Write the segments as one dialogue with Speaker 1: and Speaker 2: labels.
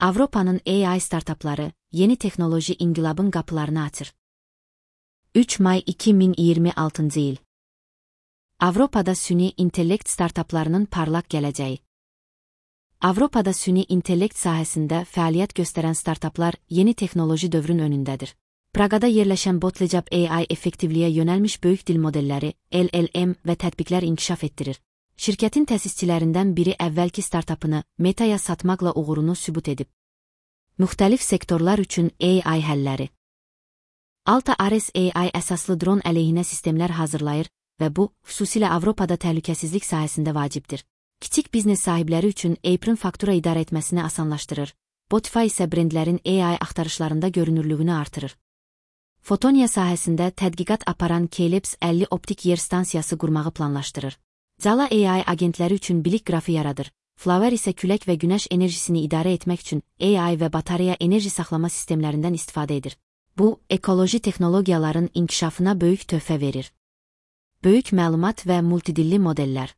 Speaker 1: Avropanın AI startapları yeni teknoloji inqilabın qapılarını açır. 3 may 2026 il. Avropada süni intellekt startaplarının parlaq gələcəyi. Avropada süni intellekt sahəsində fəaliyyət göstərən startaplar yeni texnoloji dövrün önündədir. Praqada yerləşən Botlejab AI effektivliyə yönəlmiş böyük dil modelləri, LLM və tətbiqlər inkişaf etdirir. Şirkətin təsisçilərindən biri əvvəlki startapını Metaya satmaqla uğurunu sübut edib. Müxtəlif sektorlar üçün AI həlləri. Alta Ares AI əsaslı dron əleyhinə sistemlər hazırlayır və bu, xüsusilə Avropada təhlükəsizlik sahəsində vacibdir. Kiçik biznes sahibləri üçün Apron faktura idarə etməsini asanlaşdırır. Botify isə brendlərin AI axtarışlarında görünürlüyünü artırır. Fotonia sahəsində tədqiqat aparan Kelebs 50 optik yer stansiyası qurmağı planlaşdırır. Zala AI agentləri üçün bilik qrafı yaradır. Flower isə külək və günəş enerjisini idarə etmək üçün AI və batareya enerji saxlama sistemlərindən istifadə edir. Bu, ekoloji texnologiyaların inkişafına böyük töhfə verir. Böyük məlumat və multidilli modellər.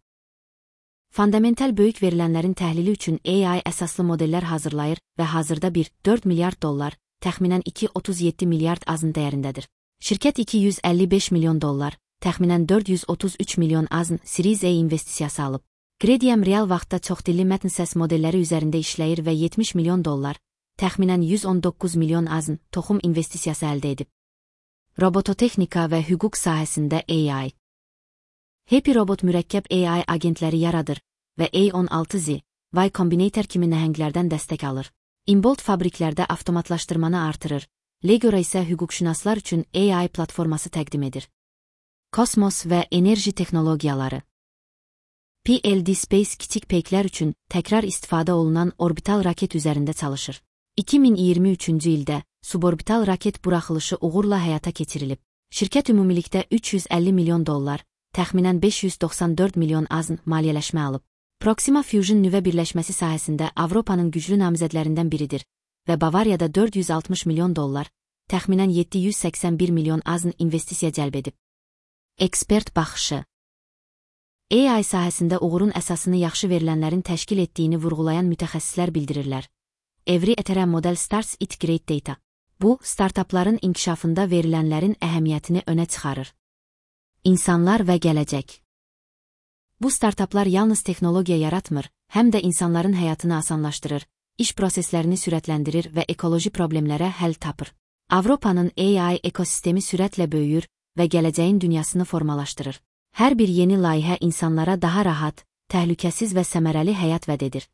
Speaker 1: Fundamental böyük verilənlərin təhlili üçün AI əsaslı modellər hazırlayır və hazırda 1,4 milyard dollar, təxminən 2,37 milyard azın dəyərindədir. Şirkət 255 milyon dollar, təxminən 433 milyon azın Series A investisiyası alıb. Gredium real vaxtda çoxdilli mətn səs modelləri üzərində işləyir və 70 milyon dollar, təxminən 119 milyon azın toxum investisiyası əldə edib. Robototexnika və hüquq sahəsində AI. Happy Robot mürəkkəb AI agentləri yaradır və A16Z, Y Combinator kimi nəhənglərdən dəstək alır. Inbolt fabriklərdə avtomatlaşdırmanı artırır. Legora isə hüquqşünaslar üçün AI platforması təqdim edir. Kosmos və enerji texnologiyaları. PLD Space kiçik peyklər üçün təkrar istifadə olunan orbital raket üzərində çalışır. 2023-cü ildə suborbital raket buraxılışı uğurla həyata keçirilib. Şirkət ümumilikdə 350 milyon dollar, təxminən 594 milyon azın maliyyələşmə alıb. Proxima Fusion nüvə birləşməsi sahəsində Avropanın güclü namizədlərindən biridir və Bavariyada 460 milyon dollar, təxminən 781 milyon azın investisiya cəlb edib. Ekspert baxışı. AI sahəsində uğurun əsasını yaxşı verilənlərin təşkil etdiyini vurğulayan mütəxəssislər bildirirlər. Every Ethereum Model Starts It Great Data. Bu, startapların inkişafında verilənlərin əhəmiyyətini önə çıxarır. İnsanlar və gələcək. Bu startaplar yalnız texnologiya yaratmır, həm də insanların həyatını asanlaşdırır, iş proseslərini sürətləndirir və ekoloji problemlərə həll tapır. Avropanın AI ekosistemi sürətlə böyüyür və gələcəyin dünyasını formalaşdırır. Hər bir yeni layihə insanlara daha rahat, təhlükəsiz və səmərəli həyat vəd edir.